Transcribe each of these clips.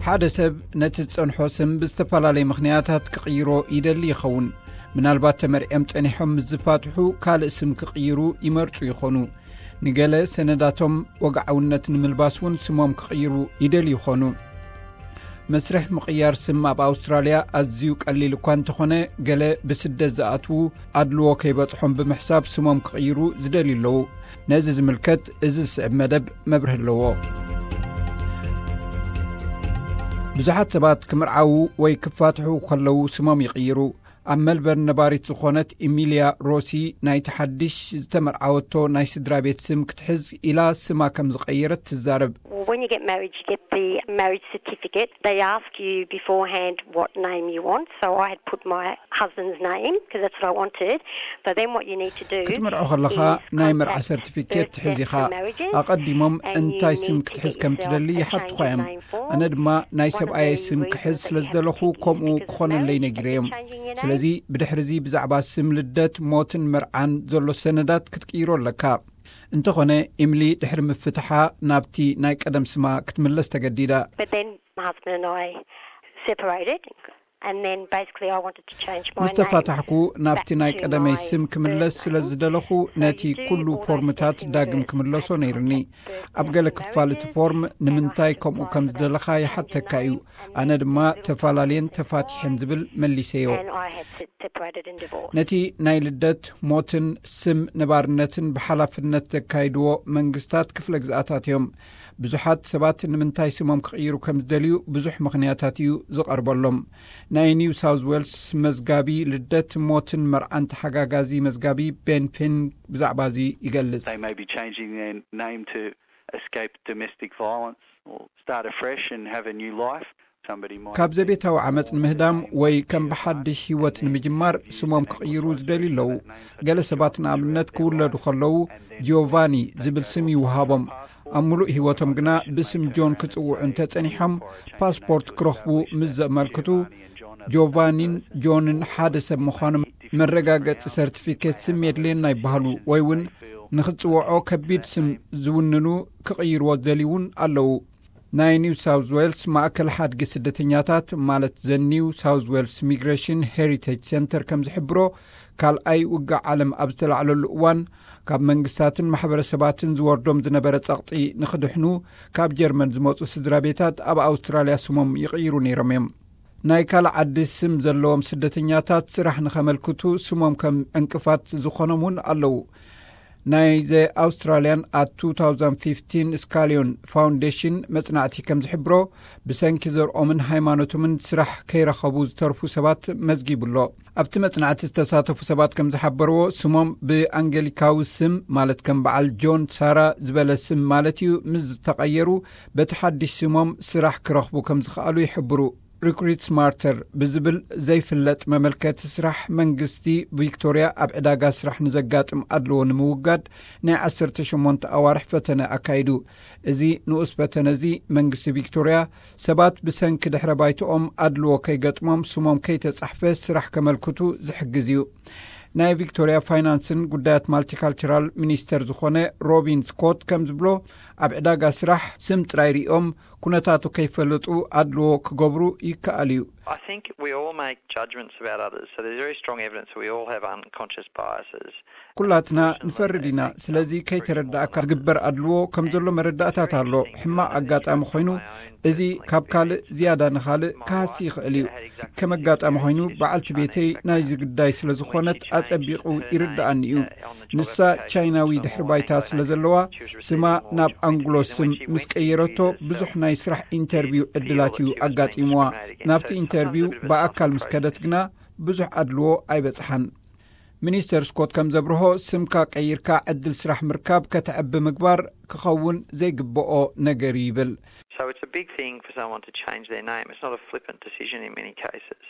ሓደ ሰብ ነቲ ዝጸንሖ ስም ብዝተፈላለየ ምኽንያታት ክቕይሮ ይደሊ ይኸውን። ምናልባት ተመርዕዮም ጸኒሖም ምስ ዝፋትሑ ካልእ ስም ክቕይሩ ይመርጹ ይኾኑ። ንገለ ሰነዳቶም ወግዓውነት ንምልባስ እውን ስሞም ክቕይሩ ይደልዩ ይኾኑ። መስርሕ ምቕያር ስም ኣብ ኣውስትራልያ ኣዝዩ ቀሊል እኳ እንተኾነ፣ ገለ ብስደት ዝኣትዉ ኣድልዎ ከይበጽሖም ብምሕሳብ ስሞም ክቕይሩ ዝደልዩ ኣለዉ። ነዚ ዝምልከት እዚ ዝስዕብ መደብ መብርሂ ኣለዎ። ብዙሓት ሰባት ክምርዓዉ ወይ ክፋትሑ ከለዉ ስሞም ይቕይሩ። ኣብ መልበርን ነባሪት ዝኾነት ኢሚልያ ሮሲ፣ ናይቲ ሓድሽ ዝተመርዓወቶ ናይ ስድራ ቤት ስም ክትሕዝ ኢላ ስማ ከም ዝቐየረት ትዛረብ። Well, when you get married, you get the marriage certificate. They ask you beforehand what name you want. So I had put my husband's name because that's what I wanted. But then what you need to do ክትምርዖ ከለኻ ናይ መርዓ ሰርቲፊኬት ትሕዝ ኢኻ። ኣቐዲሞም እንታይ ስም ክትሕዝ ከም ትደሊ ይሓትኻ እዮም። ኣነ ድማ ናይ ሰብኣየይ ስም ክሕዝ ስለ ዝደለኹ ከምኡ ክኾነለይ ነጊረዮም። ስለዚ ብድሕሪ እዚ ብዛዕባ ስም ልደት፣ ሞትን መርዓን ዘሎ ሰነዳት ክትቅይሮ ኣለካ። እንተኾነ ኢምሊ ድሕሪ ምፍትሓ ናብቲ ናይ ቀደም ስማ ክትምለስ ተገዲዳ። But then my husband and I separated, and then basically I wanted to change my ምስ ተፋታሕኩ ናብቲ ናይ ቀደመይ ስም ክምለስ ስለ ዝደለኹ ነቲ ኩሉ ፎርምታት ዳግም ክምለሶ ነይርኒ። ኣብ ገለ ክፋል እቲ ፎርም ንምንታይ ከምኡ ከም ዝደለኻ ይሓተካ እዩ። ኣነ ድማ ተፈላለየን ተፋቲሐን ዝብል መሊሰዮ። And I had se- separated and divorced. ነቲ ናይ ልደት፣ ሞትን ስም ነባርነትን ብሓላፍነት ዘካይድዎ መንግስታት ክፍለ ግዝኣታት እዮም። ብዙሓት ሰባት ንምንታይ ስሞም ክቕይሩ ከም ዝደልዩ ብዙሕ ምኽንያታት እዩ ዝቐርበሎም። ናይ ኒው ሳውዝ ዌልስ መዝጋቢ ልደት፣ ሞትን መርዓን ተሓጋጋዚ መዝጋቢ ቤን ፊን ብዛዕባ እዚ ይገልጽ። They may be changing their name to escape domestic violence or start afresh and have a new life. Somebody might ካብ ዘቤታዊ ዓመፅ ንምህዳም ወይ ከም ብሓድሽ ህይወት ንምጅማር ስሞም ክቕይሩ ዝደልዩ ኣለዉ። ገለ ሰባት ንኣብነት ክውለዱ ከለዉ ጂዮቫኒ ዝብል ስም ይውሃቦም። ኣብ ምሉእ ህይወቶም ግና ብስም ጆን ክጽውዑ እንተጸኒሖም፣ ፓስፖርት ክረኽቡ ምስ ዘመልክቱ፣ ጆቫኒን ጆንን ሓደ ሰብ ምዃኖም መረጋገጺ ሰርቲፊኬት ስም የድልየና ይበሃሉ። ወይ እውን ንኽጽውዖ ከቢድ ስም ዝውንኑ ክቕይርዎ ዝደልዩ እውን ኣለዉ። ናይ ኒው ሳውዝ ዌልስ ማእከል ሓድጊ ስደተኛታት፣ ማለት ዘ ኒው ሳውዝ ዌልስ ሚግሬሽን ሄሪቴጅ ሴንተር ከም ዝሕብሮ፣ ካልኣይ ውግእ ዓለም ኣብ ዝተላዕለሉ እዋን፣ ካብ መንግስታትን ማሕበረሰባትን ዝወርዶም ዝነበረ ጸቕጢ ንኽድሕኑ፣ ካብ ጀርመን ዝመጹ ስድራ ቤታት ኣብ ኣውስትራልያ ስሞም ይቕይሩ ነይሮም እዮም። ናይ ካልእ ዓዲ ስም ዘለዎም ስደተኛታት ስራሕ ንኸመልክቱ ስሞም ከም ዕንቅፋት ዝኾኖም እውን ኣለዉ። ናይ ዘ ኣውስትራልያን ኣት two thousand fifteen ስካሊዮን ፋውንዴሽን መጽናዕቲ ከም ዝሕብሮ፣ ብሰንኪ ዘርኦምን ሃይማኖቶምን ስራሕ ከይረኸቡ ዝተርፉ ሰባት መዝጊቡ ኣሎ። ኣብቲ መጽናዕቲ ዝተሳተፉ ሰባት ከም ዝሓበርዎ፣ ስሞም ብኣንገሊካዊ ስም፣ ማለት ከም በዓል ጆን ሳራ ዝበለ ስም ማለት እዩ፣ ምስ ዝተቐየሩ፣ በቲ ሓድሽ ስሞም ስራሕ ክረኽቡ ከም ዝኸኣሉ ይሕብሩ። ሪክሩት ስማርተር ብዝብል ዘይፍለጥ መመልከቲ ስራሕ፣ መንግስቲ ቪክቶርያ ኣብ ዕዳጋ ስራሕ ንዘጋጥም ኣድልዎ ንምውጋድ ናይ ዓሰርተ ሸሞንተ ኣዋርሕ ፈተነ ኣካይዱ። እዚ ንኡስ ፈተነ እዚ፣ መንግስቲ ቪክቶርያ ሰባት ብሰንኪ ድሕረ ባይትኦም ኣድልዎ ከይገጥሞም ስሞም ከይተጻሕፈ ስራሕ ከመልክቱ ዝሕግዝ እዩ። ናይ ቪክቶርያ ፋይናንስን ጉዳያት ማልቲካልቸራል ሚኒስተር ዝኾነ ሮቢን ስኮት ከም ዝብሎ፣ ኣብ ዕዳጋ ስራሕ ስም ጥራይ ሪኦም ኩነታቱ ከይፈለጡ ኣድልዎ ክገብሩ ይከኣል እዩ። I think we all make judgments about others, so there's very strong evidence that we all have unconscious biases. ኩላትና ንፈርድ ኢና። ስለዚ ከይተረዳእካ ዝግበር ኣድልዎ ከም ዘሎ መረዳእታት ኣሎ። ሕማቕ ኣጋጣሚ ኮይኑ፣ እዚ ካብ ካልእ ዝያዳ ንኻልእ ክሃሲ ይኽእል እዩ። ከም ኣጋጣሚ ኮይኑ፣ በዓልቲ ቤተይ ናይዚ ጉዳይ ስለ ዝኾነት ኣጸቢቑ ይርድኣኒ እዩ። ንሳ ቻይናዊ ድሕሪ ባይታ ስለ ዘለዋ፣ ስማ ናብ ኣንግሎ ስም ምስ ቀየረቶ፣ ብዙሕ ናይ ስራሕ ኢንተርቪው ዕድላት እዩ ኣጋጢምዋ። ናብቲ ኢንተርቪው ብኣካል ምስ ከደት ግና፣ ብዙሕ ኣድልዎ ኣይበጽሓን። ሚኒስተር ስኮት ከም ዘብርሆ፣ ስምካ ቀይርካ ዕድል ስራሕ ምርካብ ከተዕቢ ምግባር ክኸውን ዘይግብኦ ነገር እዩ ይብል። So it's a big thing for someone to change their name. It's not a flippant decision in many cases.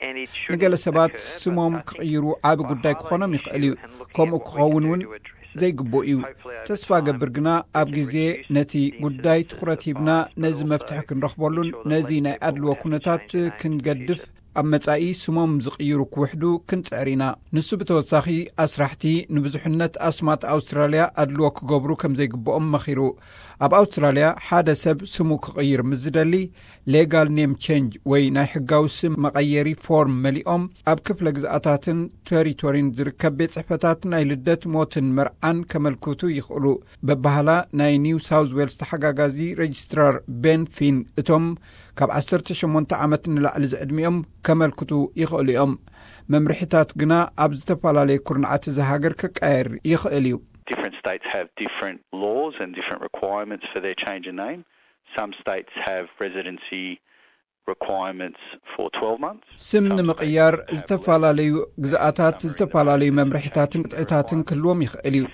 And it shouldn't ንገለ ሰባት occur, but ስሞም I think ክቕይሩ ዓቢ ጉዳይ ክኾኖም ይኽእል እዩ። ከምኡ ክኸውን እውን ዘይግቡእ እዩ። ተስፋ ገብር ግና፣ ኣብ ግዜ ነቲ ጉዳይ ትኹረት ሂብና ነዚ መፍትሒ ክንረኽበሉን ነዚ ናይ ኣድልዎ ኩነታት ክንገድፍ ኣብ መጻኢ ስሞም ዝቕይሩ ክውሕዱ ክንጽዕር ኢና። ንሱ ብተወሳኺ ኣስራሕቲ ንብዙሕነት ኣስማት ኣውስትራልያ ኣድልዎ ክገብሩ ከም ዘይግብኦም መኺሩ። ኣብ ኣውስትራልያ ሓደ ሰብ ስሙ ክቕይር ምስ ዝደሊ፣ ሌጋል ኔም ቼንጅ ወይ ናይ ሕጋዊ ስም መቐየሪ ፎርም መሊኦም ኣብ ክፍለ ግዝኣታትን ቴሪቶሪን ዝርከብ ቤት ጽሕፈታት ናይ ልደት፣ ሞትን መርዓን ከመልክቱ ይኽእሉ። በባህላ ናይ ኒው ሳውዝ ዌልስ ተሓጋጋዚ ሬጅስትራር ቤን ፊን፣ እቶም ካብ ዓሰርተ ሸሞንተ ዓመት ንላዕሊ ዝዕድሚኦም ከመልክቱ ይኽእሉ እዮም። መምርሒታት ግና ኣብ ዝተፈላለየ ኩርናዓት እዚ ሃገር ክቀየር ይኽእል እዩ። Different states have different laws and different requirements for their change of name. Some states have residency requirements for twelve months. ስም ንምቕያር ዝተፈላለዩ ግዝኣታት ዝተፈላለዩ መምርሒታትን ቅጥዕታትን ክህልዎም ይኽእል እዩ።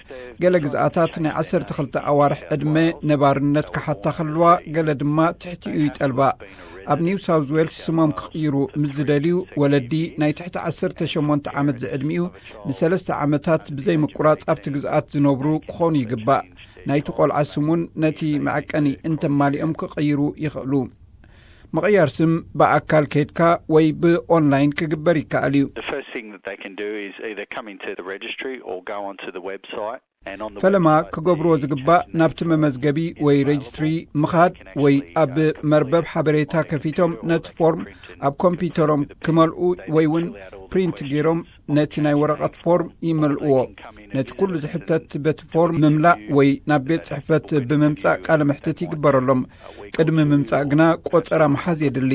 ገለ ግዝኣታት ናይ ዓሰርተ ክልተ ኣዋርሕ ዕድመ ነባርነት ክሓታ ከልዋ፣ ገለ ድማ ትሕቲኡ ይጠልባ። ኣብ ኒው ሳውዝ ዌልስ ስሞም ክቕይሩ ምስ ዝደልዩ፣ ወለዲ ናይ ትሕቲ ዓሰርተ ሸሞንተ ዓመት ዝዕድሚኡ ንሰለስተ ዓመታት ብዘይ ምቁራጽ ኣብቲ ግዝኣት ዝነብሩ ክኾኑ ይግባእ። ናይቲ ቆልዓ ስሙን ነቲ መዐቀኒ እንተማሊኦም ክቕይሩ ይኽእሉ። ምቕያር ስም ብኣካል ከይድካ ወይ ብኦንላይን ክግበር ይከኣል እዩ። The first thing that they can do is either come into the registry or go onto the website. ፈለማ ክገብርዎ ዝግባእ ናብቲ መመዝገቢ ወይ ሬጅስትሪ ምኻድ ወይ ኣብ መርበብ ሓበሬታ ከፊቶም ነቲ ፎርም ኣብ ኮምፒውተሮም ክመልኡ ወይ እውን ፕሪንት ገይሮም ነቲ ናይ ወረቐት ፎርም ይመልእዎ። ነቲ ኩሉ ዝሕተት በቲ ፎርም ምምላእ ወይ ናብ ቤት ጽሕፈት ብምምጻእ ቃለ መሕትት ይግበረሎም። ቅድሚ ምምጻእ ግና ቆጸራ ምሓዝ የድሊ።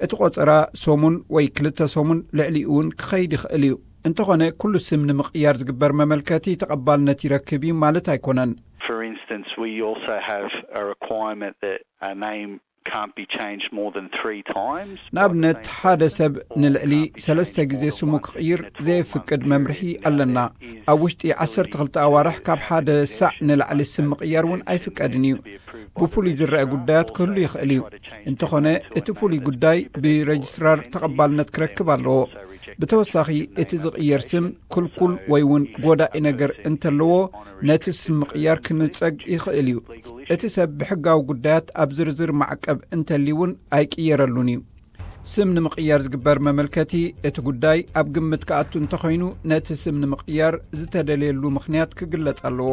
እቲ ቆጸራ ሰሙን ወይ ክልተ ሰሙን ልዕሊኡ እውን ክኸይድ ይኽእል እዩ። እንተኾነ ኩሉ ስም ንምቕያር ዝግበር መመልከቲ ተቐባልነት ይረክብ እዩ ማለት ኣይኮነን። For instance, we also have a requirement that a name can't be changed more than three times. ንኣብነት ሓደ ሰብ ንልዕሊ ሰለስተ ግዜ ስሙ ክቕይር ዘየፍቅድ መምርሒ ኣለና። ኣብ ውሽጢ ዓሰርተ ክልተ ኣዋርሕ ካብ ሓደ ሳዕ ንላዕሊ ስም ምቕያር እውን ኣይፍቀድን እዩ። ብፍሉይ ዝረአ ጉዳያት ክህሉ ይኽእል እዩ። እንተኾነ እቲ ፍሉይ ጉዳይ ብሬጅስትራር ተቐባልነት ክረክብ ኣለዎ። ብተወሳኺ እቲ ዝቕየር ስም ክልኩል ወይ እውን ጎዳኢ ነገር እንተለዎ፣ ነቲ ስም ምቕያር ክንጸግ ይኽእል እዩ። እቲ ሰብ ብሕጋዊ ጉዳያት ኣብ ዝርዝር ማዕቀብ እንተልዩ እውን ኣይቅየረሉን እዩ። ስም ንምቕያር ዝግበር መመልከቲ እቲ ጉዳይ ኣብ ግምት ክኣቱ እንተኾይኑ፣ ነቲ ስም ንምቕያር ዝተደልየሉ ምኽንያት ክግለጽ ኣለዎ።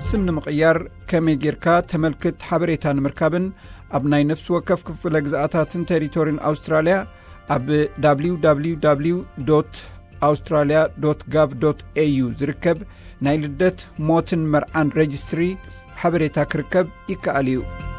ስም ንምቕያር ከመይ ጌርካ ተመልክት ሓበሬታ ንምርካብን ኣብ ናይ ነፍሲ ወከፍ ክፍለ ግዝኣታትን ቴሪቶሪን ኣውስትራልያ ኣብ www australia gov au ዝርከብ ናይ ልደት፣ ሞትን መርዓን ሬጅስትሪ ሓበሬታ ክርከብ ይከኣል እዩ።